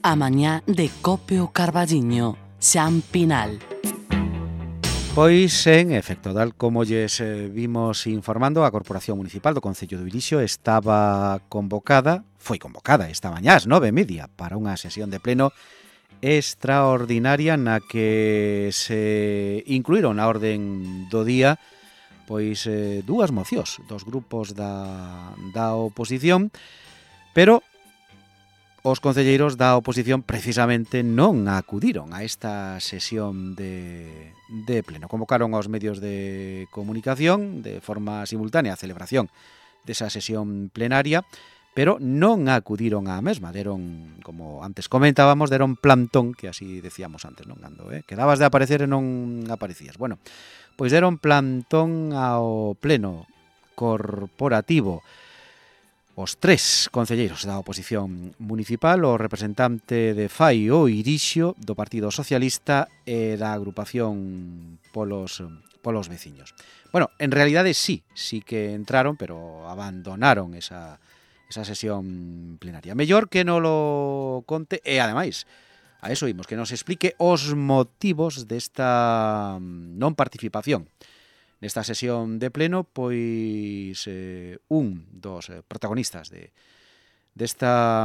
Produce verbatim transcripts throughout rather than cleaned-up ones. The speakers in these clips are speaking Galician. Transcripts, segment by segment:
A mañá de Cope o Carballiño, Xan Pinal. Pois, en efecto, tal como lles eh, vimos informando, a Corporación Municipal do Concello do Irixo estaba convocada, foi convocada esta mañá ás nove e media para unha sesión de pleno extraordinaria na que se incluíron na orden do día pois eh, dúas mocións dos grupos da, da oposición, pero os concelleiros da oposición precisamente non acudiron a esta sesión de, de pleno. Convocaron aos medios de comunicación de forma simultánea a celebración desa sesión plenaria, pero non acudiron á mesma. Deron, como antes comentábamos, deron plantón, que así decíamos antes, non? Cando eh? quedabas de aparecer e non aparecías. Bueno, pois deron plantón ao pleno corporativo os tres concelleiros da oposición municipal, o representante de F A I o Irixo, do Partido Socialista e da agrupación polos, polos veciños. Bueno, en realidade sí, sí que entraron, pero abandonaron esa, esa sesión plenaria. Mellor que non lo conte, e ademais, a eso imos, que nos explique os motivos desta non participación nesta sesión de pleno, pois eh, un dos protagonistas de desta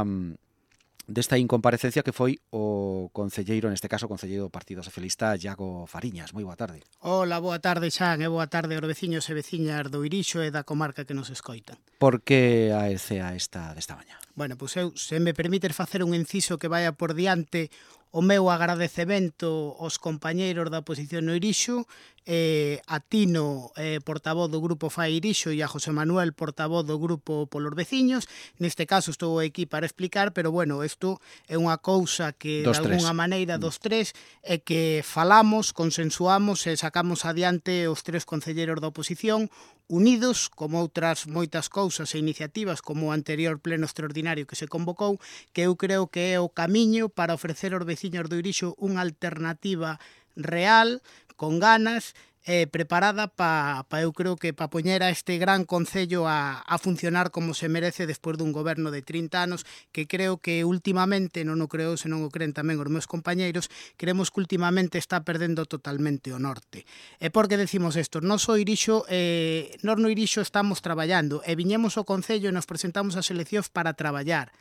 desta incomparecencia, que foi o concelleiro, neste caso o concelleiro do Partido Socialista, Iago Fariñas. Moi boa tarde. Hola, boa tarde, Xan, e boa tarde aos veciños e veciñas do Irixo e da comarca que nos escoitan. Por que a E C A esta desta mañá? Bueno, pois eu, se me permites facer un inciso que vaya por diante, o meu agradecemento aos compañeiros da oposición no Irixo, eh, a Tino, eh, portavoz do grupo F A I Irixo, e a José Manuel, portavoz do grupo polos veciños. Neste caso estou aquí para explicar, pero bueno, isto é unha cousa que dos de alguna tres. maneira dos tres é que falamos, consensuamos e sacamos adiante os tres concelleiros da oposición, unidos, como outras moitas cousas e iniciativas, como o anterior pleno extraordinario que se convocou, que eu creo que é o camiño para ofrecer aos veciños do Irixo unha alternativa real, con ganas, eh, preparada para, pa, eu creo que para poñer a este gran concello a, a funcionar como se merece despois dun goberno de trinta anos, que creo que últimamente, non o creo, senón o creen tamén os meus compañeiros, creemos que últimamente está perdendo totalmente o norte. E por que decimos isto? Nos o Irixo, eh, nos no Irixo estamos traballando, e viñemos ao concello e nos presentamos ás eleccións para traballar,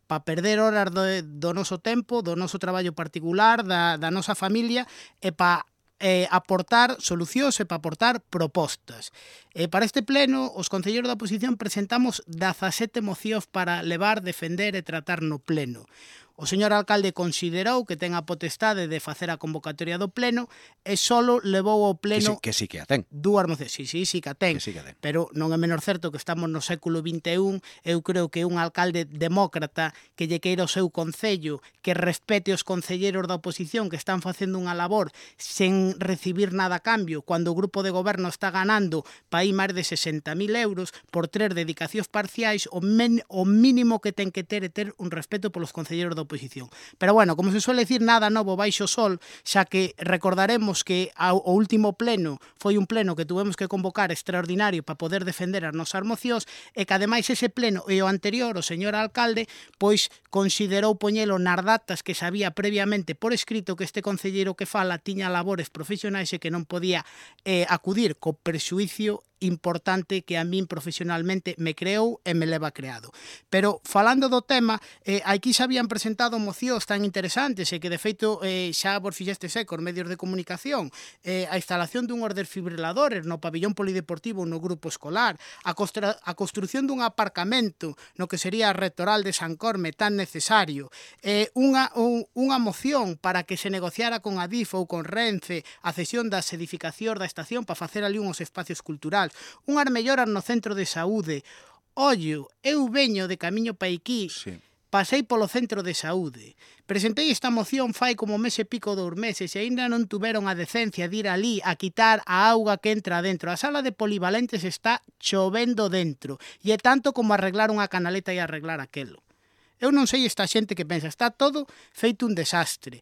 para perder horas do, do noso tempo, do noso traballo particular, da, da nosa familia, e para eh, aportar solucións e para aportar propostas. E para este pleno, os concelleiros da oposición presentamos dezasete mocións para levar, defender e tratar no pleno. O señor alcalde considerou que ten a potestade de facer a convocatoria do pleno e solo levou ao pleno... Que sí, que sí que a ten. Dúas mocións, sí, sí, sí que a ten. Que sí que a ten. Pero non é menor certo que estamos no século vinte e un. Eu creo que un alcalde demócrata que lle queira o seu concello, que respete os concelleiros da oposición que están facendo unha labor sen recibir nada a cambio, cando o grupo de goberno está ganando para aí máis de sesenta mil euros por tres dedicacións parciais, o, men, o mínimo que ten que ter é ter un respeto polos concelleiros da oposición. Pero bueno, como se suele decir, nada novo baixo sol, xa que recordaremos que o último pleno foi un pleno que tuvemos que convocar extraordinario para poder defender as nosas mocións, e que ademais ese pleno e o anterior, o señor alcalde, pois considerou poñelo nas datas que sabía previamente por escrito que este concelleiro que fala tiña labores profesionais e que non podía eh, acudir co prexuicio importante que a min profesionalmente me creou e me leva creado. Pero, falando do tema, eh, aquí xa habían presentado mocións tan interesantes e que, de feito, eh, xa vos fixestes eco os medios de comunicación, eh, a instalación dunhos desfibriladores no pabillón polideportivo no grupo escolar, a, costra, a construción dun aparcamento no que sería a Rectoral de San Corme tan necesario, eh, unha, un, unha moción para que se negociara con Adif ou con Renfe a cesión das edificacións da estación para facer ali uns espacios culturales, unhas melloras no centro de saúde. Ollo, eu veño de camiño pa aquí, sí. Pasei polo centro de saúde, presentei esta moción fai como mes e pico dous meses e ainda non tuveron a decencia de ir ali a quitar a auga que entra dentro. A sala de polivalentes está chovendo dentro e é tanto como arreglar unha canaleta e arreglar aquelo. Eu non sei esta xente que pensa, está todo feito un desastre.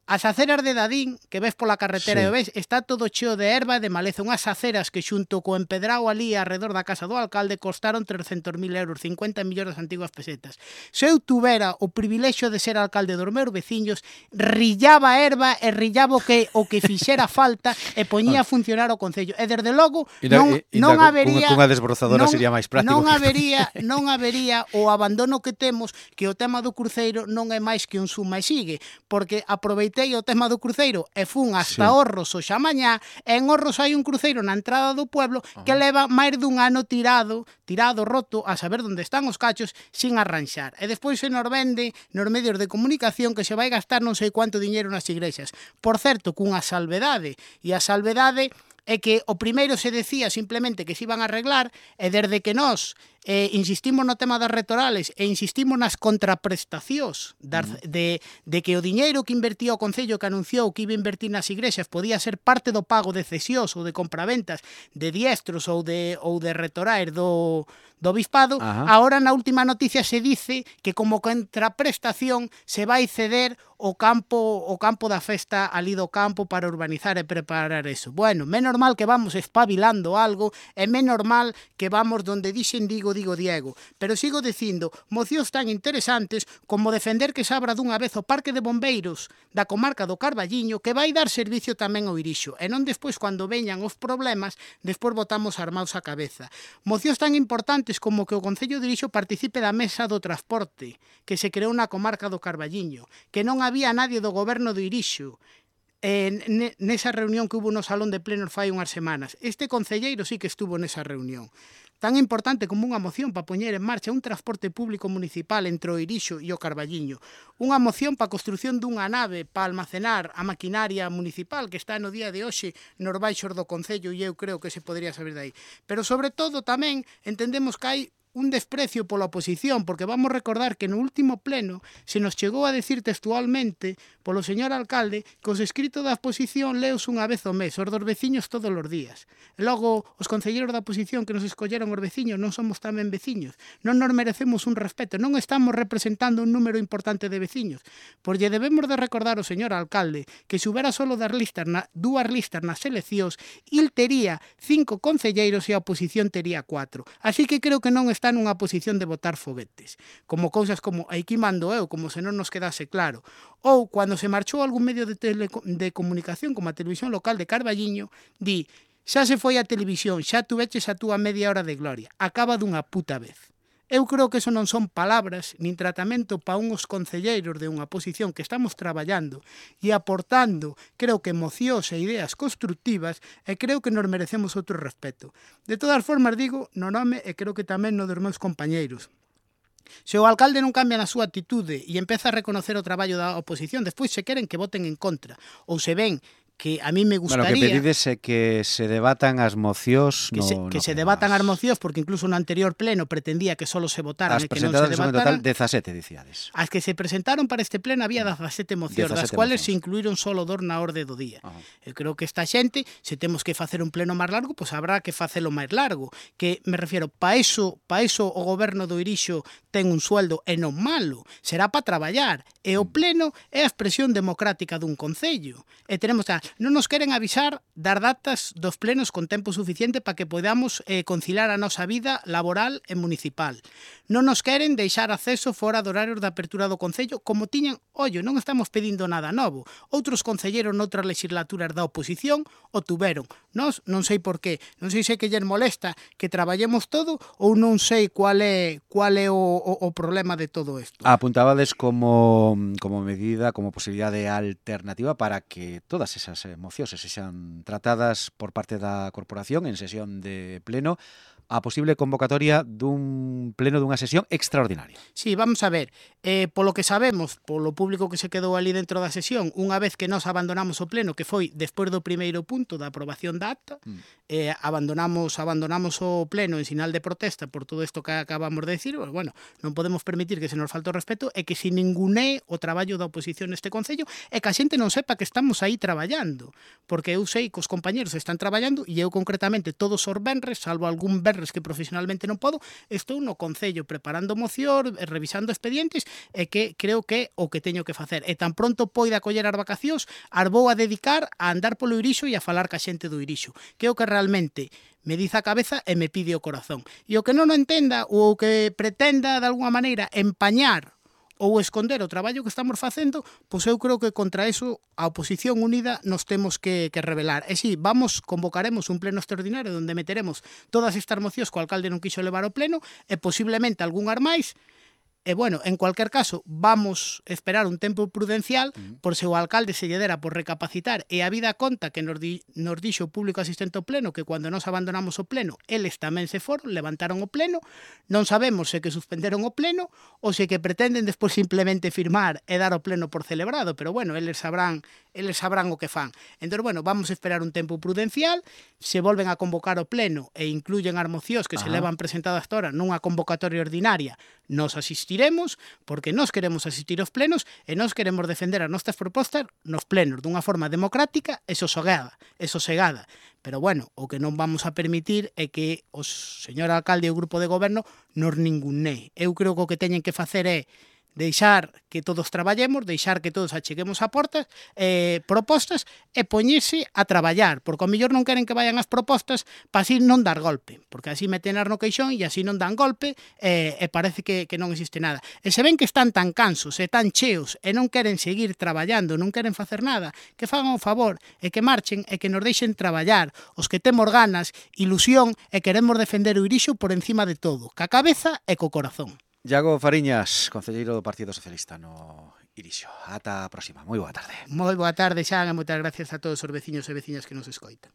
As aceras de Dadín, que ves pola carretera Sí. e o ves, está todo cheo de erva e de maleza. Unhas aceras que xunto co empedrao ali arredor da casa do alcalde costaron trescentos mil euros, cincuenta millóns das antiguas pesetas. Se eu tuvera o privilexio de ser alcalde dos meus veciños, rillaba a erva e rillaba o que, o que fixera falta e poñía a funcionar o Concello. E desde logo Inda, non, inda non cunha- habería... cunha desbrozadora non, sería máis práctico Non que- habería, non habería o abandono que temos, que o tema do cruceiro non é máis que un suma e sigue, porque aproveitei o tema do cruceiro e fun hasta Sí. Orros hoxe a mañá, e en Orros hai un cruceiro na entrada do pueblo que leva máis dun ano tirado, tirado, roto, a saber onde están os cachos, sin arranxar. E despois se nos vende nos medios de comunicación que se vai gastar non sei cuánto diñeiro nas igrexas. Por certo, cunha salvedade, e a salvedade é que o primeiro se decía simplemente que se iban a arreglar, e desde que nós eh, insistimos no tema das retorales e insistimos nas contraprestacións das, de, de que o diñeiro que invertía o Concello, que anunciou que iba a invertir nas igrexas, podía ser parte do pago de cesións ou de compraventas de diestros ou de, ou de retorais do, do Bispado. Ajá. Ahora na última noticia se dice que como contraprestación se vai ceder o campo o campo da festa ali do campo para urbanizar e preparar eso. Bueno, menos mal que vamos espabilando algo, e menos mal que vamos donde dixen digo, digo Diego. Pero sigo dicindo, mocións tan interesantes como defender que se abra dunha vez o Parque de Bombeiros da comarca do Carballiño, que vai dar servicio tamén ao Irixo, e non despois cando veñan os problemas, despois botamos armados a cabeza. Mocións tan importantes como que o Concello de Irixo participe da mesa do transporte que se creou na comarca do Carballiño, que non había nadie do goberno do Irixo eh, nesa reunión que hubo no salón de plenos fai unhas semanas. Este concelleiro sí que estuvo nesa reunión. Tan importante como unha moción para poñer en marcha un transporte público municipal entre o Irixo e o Carballiño. Unha moción para a construción dunha nave para almacenar a maquinaria municipal que está no día de hoxe nos baixos do Concello, e eu creo que se podría saber dai. Pero sobre todo tamén entendemos que hai un desprecio pola oposición, porque vamos recordar que no último pleno se nos chegou a decir textualmente polo señor alcalde que os escritos da oposición leos unha vez ao mes, os dos veciños todos os días. E logo, os concelleiros da oposición que nos escolleron os veciños non somos tamén veciños, non nos merecemos un respeto, non estamos representando un número importante de veciños. Pois lle debemos de recordar ao señor alcalde que se houbera solo das listas na, dúas listas nas eleccións, il tería cinco concelleiros e a oposición tería cuatro. Así que creo que non está nunha posición de botar foguetes, como cousas como aquí mando eu, como se non nos quedase claro, ou cando se marchou algún medio de, tele, de comunicación como a televisión local de Carballiño, di, xa se foi a televisión, xa tuveches a túa media hora de gloria, acaba dunha puta vez. Eu creo que eso non son palabras nin tratamento para uns concelleiros de unha posición que estamos traballando e aportando, creo que mocións e ideas constructivas, e creo que nos merecemos outro respeto. De todas formas, digo no nome e creo que tamén no dos meus compañeiros. Se o alcalde non cambia na súa atitude e empeza a reconocer o traballo da oposición, despois se queren que voten en contra, ou se ven que a mí me gustaría... Bueno, que pedides é que se debatan as mocións que no, se, que no se pleno. debatan as mocións, porque incluso no anterior pleno pretendía que solo se votaran As e que non se presentadas son en total debataran. dezasete, dicíades. As que se presentaron para este pleno había dezasete mocións, das dezasete cuales se mocións. incluíron solo dos na orde do día. Ajá. Eu creo que esta xente, se temos que facer un pleno máis largo, pois habrá que facelo máis largo. Que me refiero, pa eso, pa eso o goberno do Irixo ten un sueldo e non malo, será para traballar. E o pleno é a expresión democrática dun concello. E tenemos, non nos queren avisar das datas dos plenos con tempo suficiente para que podamos eh, conciliar a nosa vida laboral e municipal. Non nos queren deixar acceso fora do horario de apertura do Concello, como tiñan, ollo, non estamos pedindo nada novo. Outros concelleros noutras legislaturas da oposición o tuveron. Nós non sei por qué, non sei se que lles molesta que traballemos todo ou non sei cual é cual é o, o, o problema de todo isto. Apuntabades como, como medida, como posibilidade alternativa para que todas esas mocións se sexan tratadas por parte da corporación en sesión de pleno, a posible convocatoria dun pleno dunha sesión extraordinaria. Sí, vamos a ver, eh, polo que sabemos, polo público que se quedou ali dentro da sesión, unha vez que nos abandonamos o pleno, que foi despois do primeiro punto da aprobación da acta, mm. eh, abandonamos abandonamos o pleno en sinal de protesta por todo isto que acabamos de decir, pues, bueno, non podemos permitir que se nos falte o respeto e que se ninguné o traballo da oposición neste Concello e que a xente non sepa que estamos aí traballando, porque eu sei que os compañeros están traballando e eu concretamente todos os venres, salvo algún verso venres que profesionalmente non podo, estou no Concello preparando moción, revisando expedientes, e que creo que é o que teño que facer. E tan pronto poida coller as vacacións, as vou a dedicar a andar polo Irixo e a falar ca xente do Irixo, que é o que realmente me diz a cabeza e me pide o corazón. E o que non o entenda ou o que pretenda de alguma maneira empañar ou esconder o traballo que estamos facendo, pois eu creo que contra eso a oposición unida nos temos que, que rebelar. E si, vamos, convocaremos un pleno extraordinario onde meteremos todas estas mocións que o alcalde non quiso levar ao pleno e posiblemente algunhas máis. E, bueno, en cualquier caso, vamos esperar un tempo prudencial por se o alcalde se lle dera por recapacitar e a vida conta que nos, di, nos dixo o público asistente ao pleno que cando nos abandonamos o pleno, eles tamén se foron, levantaron o pleno, non sabemos se que suspenderon o pleno ou se que pretenden despois simplemente firmar e dar o pleno por celebrado, pero, bueno, eles sabrán, eles sabrán o que fan. Entón, bueno, vamos a esperar un tempo prudencial, se volven a convocar o pleno e incluyen as mocións que Ajá. se levan presentadas hasta ahora nunha convocatoria ordinaria, nos asistiremos, porque nós queremos asistir aos plenos e nós queremos defender as nosas propostas nos plenos dunha forma democrática e sosegada, e sosegada. Pero, bueno, o que non vamos a permitir é que o señor alcalde e o grupo de goberno nos ningunee. Eu creo que o que teñen que facer é deixar que todos traballemos, deixar que todos acheguemos a portas, eh, propostas e poñerse a traballar, porque ao mellor non queren que vayan as propostas para así non dar golpe, porque así metenas no queixón e así non dan golpe eh, e parece que, que non existe nada. E se ven que están tan cansos e tan cheos e non queren seguir traballando, non queren facer nada, que fagan o favor e que marchen e que nos deixen traballar, os que temos ganas, ilusión e queremos defender o Irixo por encima de todo, ca cabeza e co corazón. Iago Fariñas, concelleiro do Partido Socialista no Irixo. Ata a próxima. Moi boa tarde. Moi boa tarde, Xan, e moitas gracias a todos os veciños e veciñas que nos escoitan.